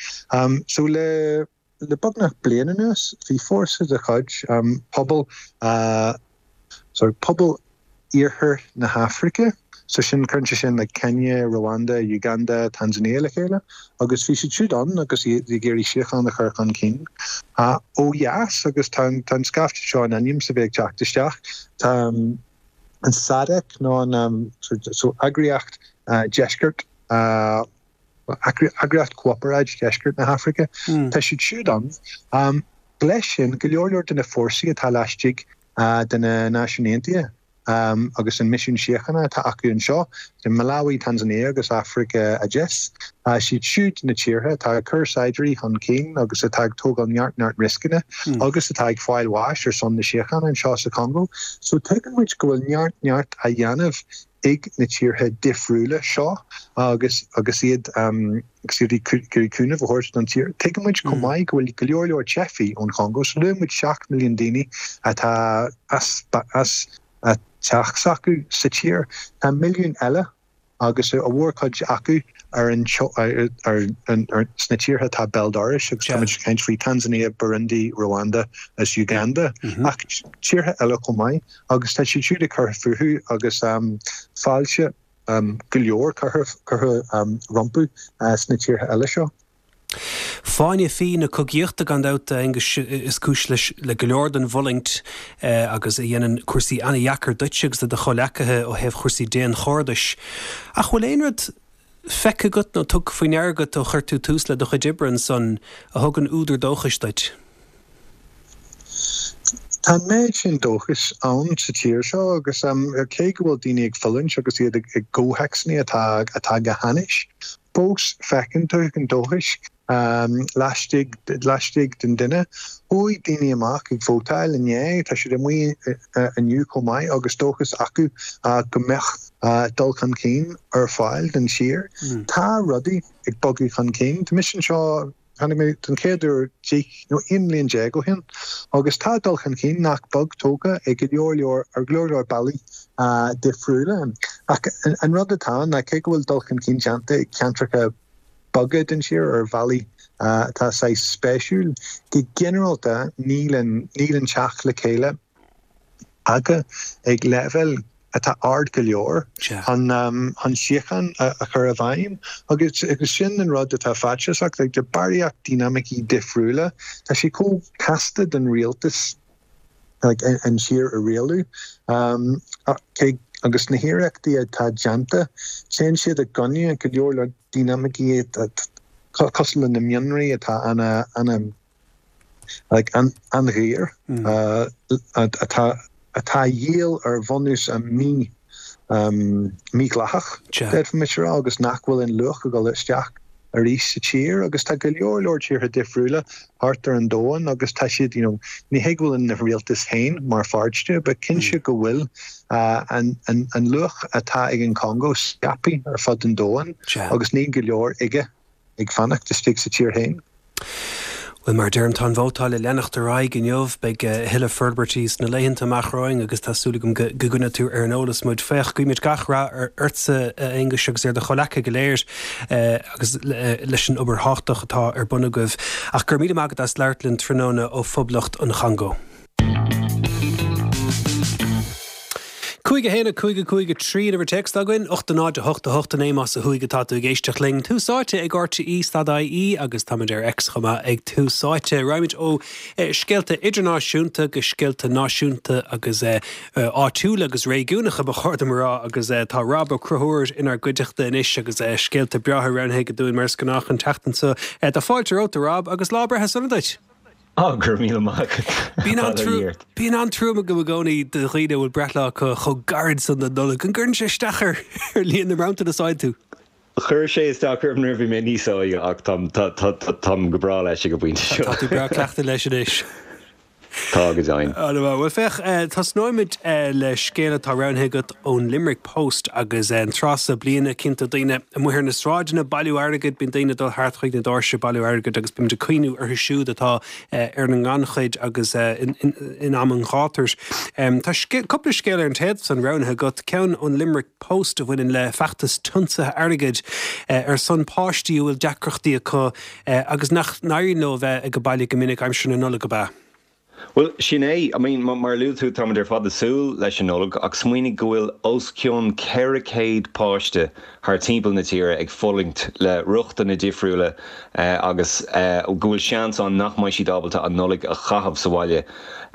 So le. Le beagnach bliain anuas, bhí fórsa de chuid pobal, sorry, pobal Iarthar na hAfraice, so sin, cuireann sé sin like Kenya, Rwanda, Uganda, Tanzania le chéile, agus bhí siad siúd ann agus iad ag iarraidh síocháin a chur chun cinn ó dheas agus tá an scaifte seo in ainm is a bheith ag teacht isteach. Tá an SADC nó an, so eagraíocht Deisceart, Eagraíocht Chomhparáid Dheisceart na hAfraice, tá siad siúd ann. Leis sin, go leor leor de na fórsaí atá laistigh de na Náisiúin Aontaithe agus an misiún síochána atá acu anseo, i Malawi, Tanzania agus Afraic Theas, siad siúd na tíortha atá ag cur saighdiúirí chun cinn agus atá ag tógáil neart neart rioscanna agus atá ag fáil bháis ar son na síochána anseo sa Chongó. So tuigeann muid go bhfuil neart neart á dhéanamh ag na tíortha difriúla seo agus agus iad agus iad ag iarraidh cúnamh a thabhairt don tír. Tuigeann muid chomh maith go bhfuil go leor leor teifigh ón Chongó, so luaigh muid seacht milliún daoine atá as as teach s'acu sa tír. Tá milliún eile agus a mhórchuid acu ar an ar ar sna tíortha atá béal dorais agus táimid ag caint faoi Tanzania, Burundi, Rwanda agus Uganda ach tíortha eile chomh maith agus tá siad siúd ag cur fúthu agus fáilte go leor curtha curtha rompu sna tíortha eile seo. Fáinne fí na cogaíochta gan dabht, a Aonghuis, is cúis leis le go leor den bhfulaingt agus a dhéanann cúrsaí an-dheacair duitse agus do do chomhleacaithe ó thaobh chúrsaí daonchairdis. Ach bhfuil aon rud feicthe agat nó tugtha faoi ndeara agat ó chuir tú tús le do chuid oibre ansan a thugann údar dóchais duit? Tá an méid sin dóchais ann sa tír seo agus cé go bhfuil daoine ag fulaingt agus iad i gcomhthéacsanna atá atá go hainnis, fós feiceann tú an dóchas laistigh laistigh den duine. Chuaigh daoine amach ag vótáil inné, tá siad amuigh inniu chomh maith agus dóchas acu go mbeadh dul chun cinn ar fáil don tír. Tá rudaí ag bogadh chun cinn. Tá mise anseo, tháinig mé den chéad uair deich nó aon bhliain déag ó shin agus tá dul chun cinn nach beag tógtha ag go leor leor ar go leor leor bealaí difriúla. Ach an rud atá ann ná cé go bhfuil dul chun cinn déanta i gceantracha beaga den tír ar bhealaí atá saghas spéisiúil, go ginearálta níl an níl an teacht le chéile tagtha ag leibhéal atá ard go leor chun chun síocháin a chur i bhfeidhm agus agus sin an rud atá faitíosach, like de barraíocht dinimicí difriúla, tá sé chomh casta don rialtas like an tír a rialú cé agus na hiarrachtaí atá déanta, téann siad i gcoinne go leor leor dinimicí cosúil le na mionraí atá ana ana like an-ghéar atá atá á dhíol ar bhunús mí mídhleathach, d'fhéadfaimis a rá, agus nach bhfuil aon luach ag dul isteach arís sa tír agus tá go leor leor tíortha difriúla thart ar an domhan agus tá siad, you know, ní hé go bhfuil na rialtais féin mar pháirt de, but cinnte go bhfuil an an an luach atá ag an Chongó scaipthe ar fud an domhain agus níl go leor aige ag fanacht istigh sa tír féin. Bhuel, mar a deirim, tá an vótáil ag leanacht ar aghaidh inniu. Beidh a thuilleadh forbairtí sna laethanta amach romhainn agus tá súil agam go gcoinneoidh tú ar an eolas muid. Féach, guímid gach rath ortsa, a Aonghuis, agus ar do chomhleacaithe go léir agus leis an obair thábhachtach atá ar bun agaibh. Ach go raibh míle maith agat as labhairt linn tráthnóna ó Phoblacht an Chongó. Cúig a haon a cúig a cúig a trí an uimhir téacs againn, ocht a náid a hocht a hocht a naoi más ó thuaidh atá tú ag éisteacht linn. Tús Áite ag RTÉ stad IE agus táimid ar X chomh maith ag Tús Áite. Raghaimid ó scéalta idirnáisiúnta go scéalta náisiúnta agus áitiúla agus réigiúnacha ba chóir dom a rá agus tá Rob Ó Conchúir inár gcuideachta anois agus scéalta breátha roghnaithe aige dúinn mar is gnách an tseachtain seo. Tá fáilte romhat a Rob agus lá breithe sona duit! Á, go raibh míle maith agat. Bíonn an-trua an-trua agam i gcónaí do dhaoine a bhfuil breithlá acu chomh gairid san don Nollaig. An gcuireann sé isteach ar líon na mbronntanas a fhaigheann tú? Chuir sé isteach orm nuair a bhí mé níos óige ach táim go breá leis ag an bpointe seo. Tá tú breá cleachta leis anois. Tá go deimhin. Bhuel féach, tosnóimid le scéal atá roghnaithe agat ón Limerick Post agus an tráth seo bliana cinnte daoine amuigh ar na sráideanna ag bailiú airgid, bíonn daoine ag dul thart chuig na doirse ag bailiú airgid agus bímid ag cuimhniú orthu siúd atá ar an ngannchuid agus in am an ghátair. Tá cúpla scéal ar an téad san roghnaithe agat, ceann ón Limerick Post a bhaineann le feachtas tiomsaithe airgid ar son páistí a bhfuil deacrachtaí acu agus nach n-éiríonn leo a bheith ag baile go minic aimsir na Nollag, ab ea? Bhuel, sin é. I mean, mar a luaigh tú, táimid ar fad ag súil leis an Nollaig, ach smaoinigh go bhfuil os cionn ceithre chéad páiste thar timpeall na tíre ag fulaingt le riochtanna difriúla agus go bhfuil seans ann nach mbeidh siad ábalta an Nollaig a chaitheamh sa bhaile.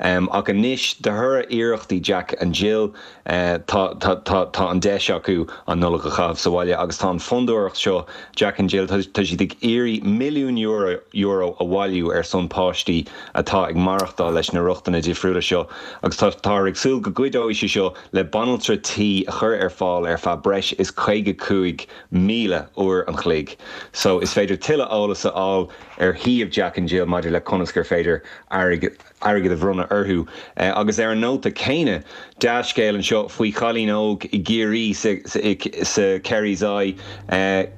Ach anois, de thoradh iarrachtaí Jack and Jill, tá tá tá an deis acu an Nollaig a chaitheamh sa bhaile agus tá an fondúireacht seo, Jack and Jill, tá siad ag iarraidh milliún euro euro a bhailiú ar son páistí atá ag maireachtáil leis na riochtanna difriúla seo agus tá táthar ag súil go gcuideoidh sé seo le banaltra tí a chur ar fáil ar feadh breis is caoga cúig míle uair an chloig. So is féidir tuilleadh eolas a fháil ar shuíomh Jack and Jill maidir le conas gur féidir airgead airgead a bhronnadh orthu. Agus ar an nóta céanna, dea-scéal anseo faoi chailín óg i gCiarraí sa sa Kerry's Eye,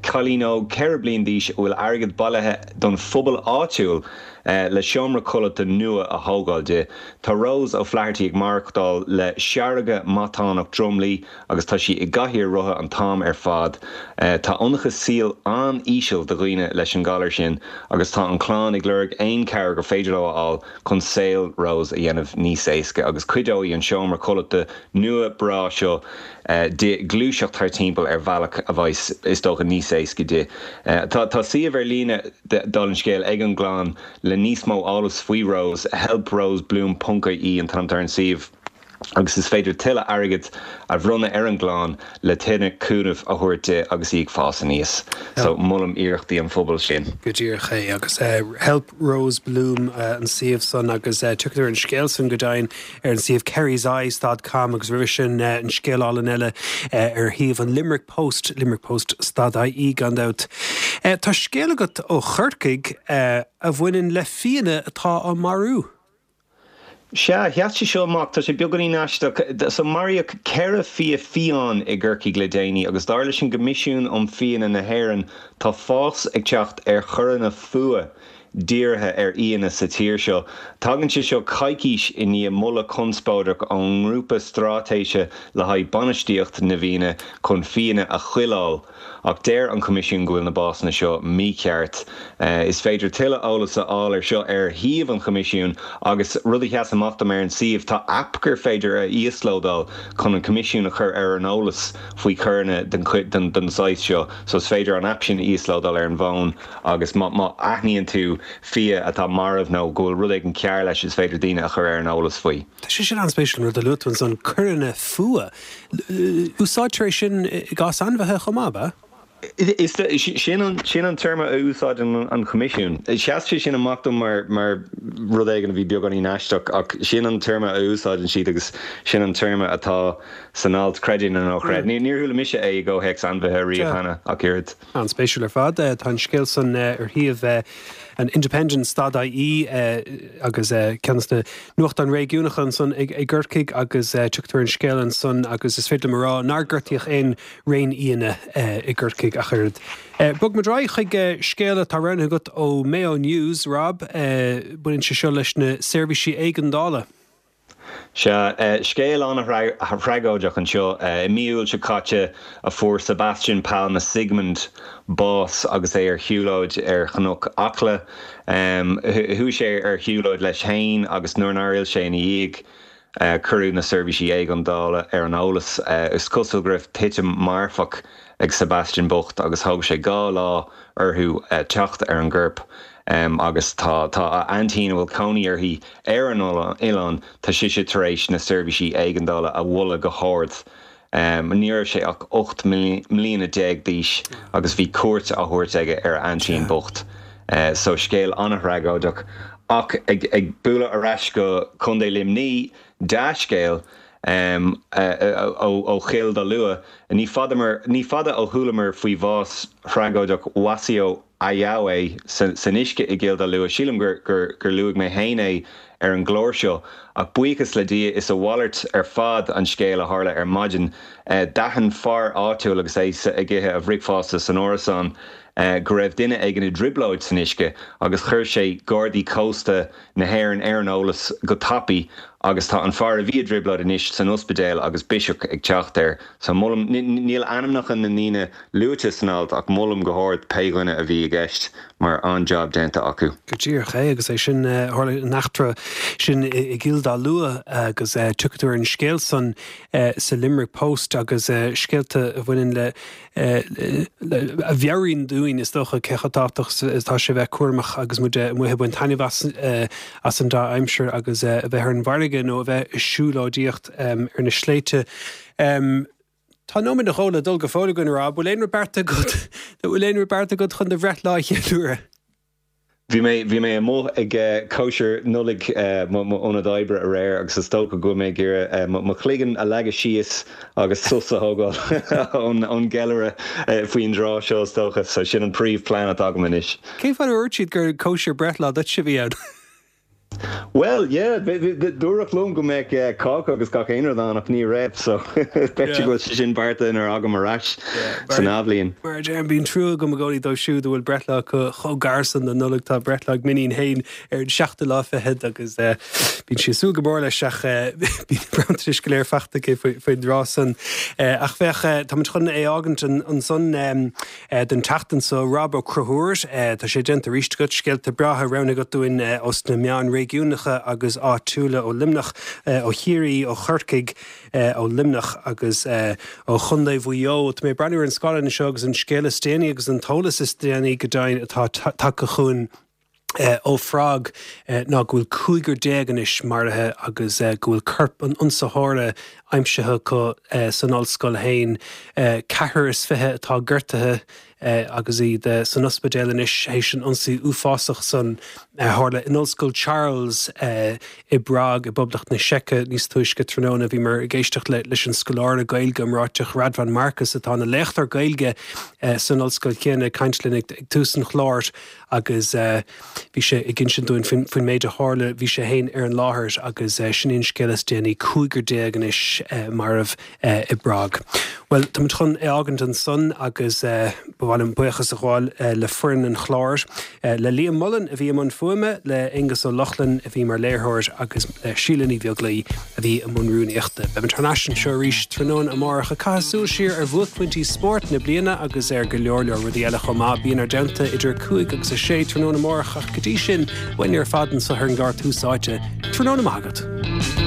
cailín óg ceithre bliain d'aois a bhfuil airgead bailithe don phobal áitiúil le seomra codlata nua a thógáil di. Tá Rose O'Flaherty ag maireachtáil le seargadh matánach dromlaí agus tá sí i gcathaoir rotha an t-am ar fad. Tá ionchas saoil an-íseal do dhaoine leis an galar sin agus tá an chlann ag lorg aon chabhair gur féidir leo a fháil chun saol Rose a dhéanamh níos éasca agus cuideoidh an seomra codlata nua breá seo di gluaiseacht thar timpeall ar bhealach a bheidh, is dócha, níos éasca di. Tá tá suíomh ar líne dála an scéil ag an gclann le níos mó eolas faoi Rose, helprosebloom ponc ie an t-ainm atá ar an suíomh, agus is féidir tuilleadh airgid a bhronnadh ar an gclann le tuilleadh cúnaimh a thabhairt di agus í ag fás aníos. So molaim iarrachtaí an phobail sin. Go díreach é agus Help Rose Bloom an suíomh san agus tiocfaidh tú ar an scéal san go deimhin ar an suíomh kerryseyes dot com agus roimhe sin an scéal álainn eile ar shuíomh an Limerick Post, limerickpost stad ie gan dabht. Tá scéal agat ó Chorcaigh a bhaineann le fianna atá á marú. Sea, sheas sé seo amach, tá sé beagáinín aisteach. So maraíodh ceithre fia fiáin i gCorcaigh le déanaí agus dar leis an gCoimisiún um Fianna na hÉireann tá fás ag teacht ar choireanna fuath dírithe ar fhianna sa tír seo. Tagann sé seo coicís i ndiaidh moladh conspóideach ón nGrúpa Straitéise le haghaidh Bainistíocht na bhFianna chun fianna a choileáil. Ach deir an Coimisiún go bhfuil na básanna seo mícheart. Is féidir tuilleadh eolas a fháil ar seo ar shuíomh an Choimisiúin agus rud a sheas amach dom ar an suíomh, tá aip gur féidir a íoslódáil chun an Coimisiún a chur ar an eolas faoi choireanna den den saghas seo. So is féidir an aip sin a íoslódáil ar an bhfón agus má má aithníonn tú fia atá marbh nó go bhfuil rud éigin cearr leis is féidir daoine a chur ar an eolas faoi. Tá sé sin an-spéisiúil an rud a luaigh tú ansan, coireanna fuath. Úsáidtear é sin i gcás ainmhithe chomh maith, ab ea? Is sin an sin an téarma a úsáideann an Coimisiún. Sheas sé sin amach dom mar mar rud éigin a bhí beagáinín aisteach ach sin an téarma a úsáideann siad agus sin an téarma atá san alt, creid é nó ná creid. Níor chuala mise é i gcomhthéacs ainmhithe riamh cheana ach oiread. An-spéisiúil ar fad. Tá an scéal san ar shuíomh an Independent stad ie agus ceann de na nuachtáin réigiúnacha ansan i gCorcaigh agus tugtar an scéal ansan agus is féidir liom a rá nár gortaíodh aon réinfhianna i gCorcaigh ach oiread. Bogfaimid ar aghaidh chuig scéal atá roghnaithe agat ó Mayo News, Rob. Baineann sé seo leis na seirbhísí éigeandála. Sea, scéal an-thragóideach anseo. I mí Iúil seo caite a fuair Sebastian Palma Sigmund bás agus é ar shiúlóid ar Chnoc Acla. Chuaigh sé ar shiúlóid leis féin agus nuair nár fhill sé ina dhiaidh, cuireadh na seirbhísí éigeandála ar an eolas. Is cosúil go raibh titim marfach ag Sebastian bocht agus thóg sé dhá lá orthu teacht ar an gcorp agus tá tá a aintín a bhfuil cónaí uirthi ar an oileán, tá sise tar éis na seirbhísí éigeandála a mholadh go hard. Ní raibh sé ach ocht mbliana déag d'aois agus bhí cuairt á thabhairt aige ar a aintín bocht. So scéal an-thragóideach. Ach ag ag bualadh ar ais go Contae Luimnigh, dea-scéal, ó Chill Dá Lua. Ní fada ó chualamar faoi bhás thragóideach Wasiu Ajawe san uisce i gCill Dá Lua. Sílim gur luaigh mé féin é ar an gclár seo, ach buíochas le Dia is a mhalairt ar fad an scéal a tharla ar maidin. D'aithin fear áitiúil agus é ag ithe a bhricfeasta san árasán go raibh duine éigin i dtrioblóid san uisce agus chuir sé Gardaí Cósta na hÉireann ar an eolas go tapaidh agus tá an fear a bhí i dtrioblóid anois san ospidéal agus biseach ag teacht air. So molaim, níl ainmneacha na ndaoine luaite san alt ach molaim go hard pé dhuine a bhí i gceist mar an-jab déanta acu. Go díreach é agus é sin tharla an eachtra sin i gCill Dá Lua agus tiocfaidh tú ar an scéal san sa Limerick Post agus scéalta a bhaineann le a mheabhraíonn dúinn is dócha cé chomh tábhachtach is atá sé bheith cúramach agus muid amuigh ag baint taitneamh as as an dea aimsir agus a bheith ar an bhfarraige nó a bheith ag siúlóidíocht ar na sléibhte. Tá nóiméad nó dhó le dul go fóill againn a Rob, bhfuil aon rud beartaithe agat, bhfuil aon rud beartaithe agat chun do bhreithlá a cheiliúradh? Bhí mé bhí mé amuigh ag cóisir Nollag m'ionad oibre aréir agus is dócha go bhfuil mé ag iarraidh mo chloigeann a leagadh síos agus sos a thógáil ón ón gceiliúradh faoin dtráth seo is dócha. So sin an príomhphlean atá agam anois. Cén fáth ar dúirt siad gur cóisir breithlá duitse a bhí ann? Bhuel, yeah, dúradh liom go mbeadh cáca agus gach aon rud ann ach ní raibh, so b'fhéidir go bhfuil sé sin beartaithe nuair agam ar ais san athbhliain. Mar a deirim, bíonn trua agam i gcónaí dóibh siúd a bhfuil breithlá acu chomh gar san don Nollaig. Tá breithlá ag m'iníon féin ar an seachtú lá fichead agus bíonn sí ag súil go mór leis ach bíonn na bronntanais go léir faighte aici faoin dtráth san. Ach féach, táimid chun é fhágaint ansan don tseachtain so. Rob Ó Conchúir, tá sé déanta arís agat, scéalta breátha roghnaithe agat dúinn os na meáin réigiúnacha agus áitiúla ó Luimneach, ó Chiarraí, ó Chorcaigh, ó Luimneach agus ó Chontae Mhaigh Eo. Tá mé ag breathnú ar an scáileán anseo agus an scéal is déanaí agus an t-eolas is déanaí go deimhin atá tagtha chugainn ó Phrág ná go bhfuil cúigear déag anois maraithe agus go bhfuil corp an ionsaitheora aimsithe acu san ollscoil féin. Ceathrar is fiche atá gortaithe agus iad san ospidéal anois théis an ionsaí uafásach san a tharla in Ollscoil Charles i bPrág i bPoblacht na Seice níos túisce tráthnóna. Bhíomar ag éisteacht leis an scoláire Gaeilge iomráiteach Radvan Markus atá ina léachtóir Gaeilge san ollscoil chéanna ag caint linn ag tús an chláir agus bhí sé ag insint dúinn faoin méid a tharla. Bhí sé féin ar an láthair agus sin é an scéal is déanaí, cúigear déag anois marbh i bPrág. Bhuel, táimid chun é fhágaint ansan agus ba mhaith liom buíochas a ghabháil le foireann an chláir, le Liam Mullen a bhí i mbun fuaime, le Aonghus Ó Lochlainn a bhí mar léiritheoir agus le Síle Ní Bheaglaoi a bhí i mbun rúnaíochta. Beimid thar n-ais anseo arís tráthnóna amárach ag caitheamh súil siar ar bhuaicphointí spóirt na bliana agus ar go leor leor rudaí eile chomh maith. Bí inár dteannta idir a cúig agus a sé tráthnóna amárach ach go dtí sin, uainne ar fad anseo ar an gclár Tús Áite. Tráthnóna maith agat.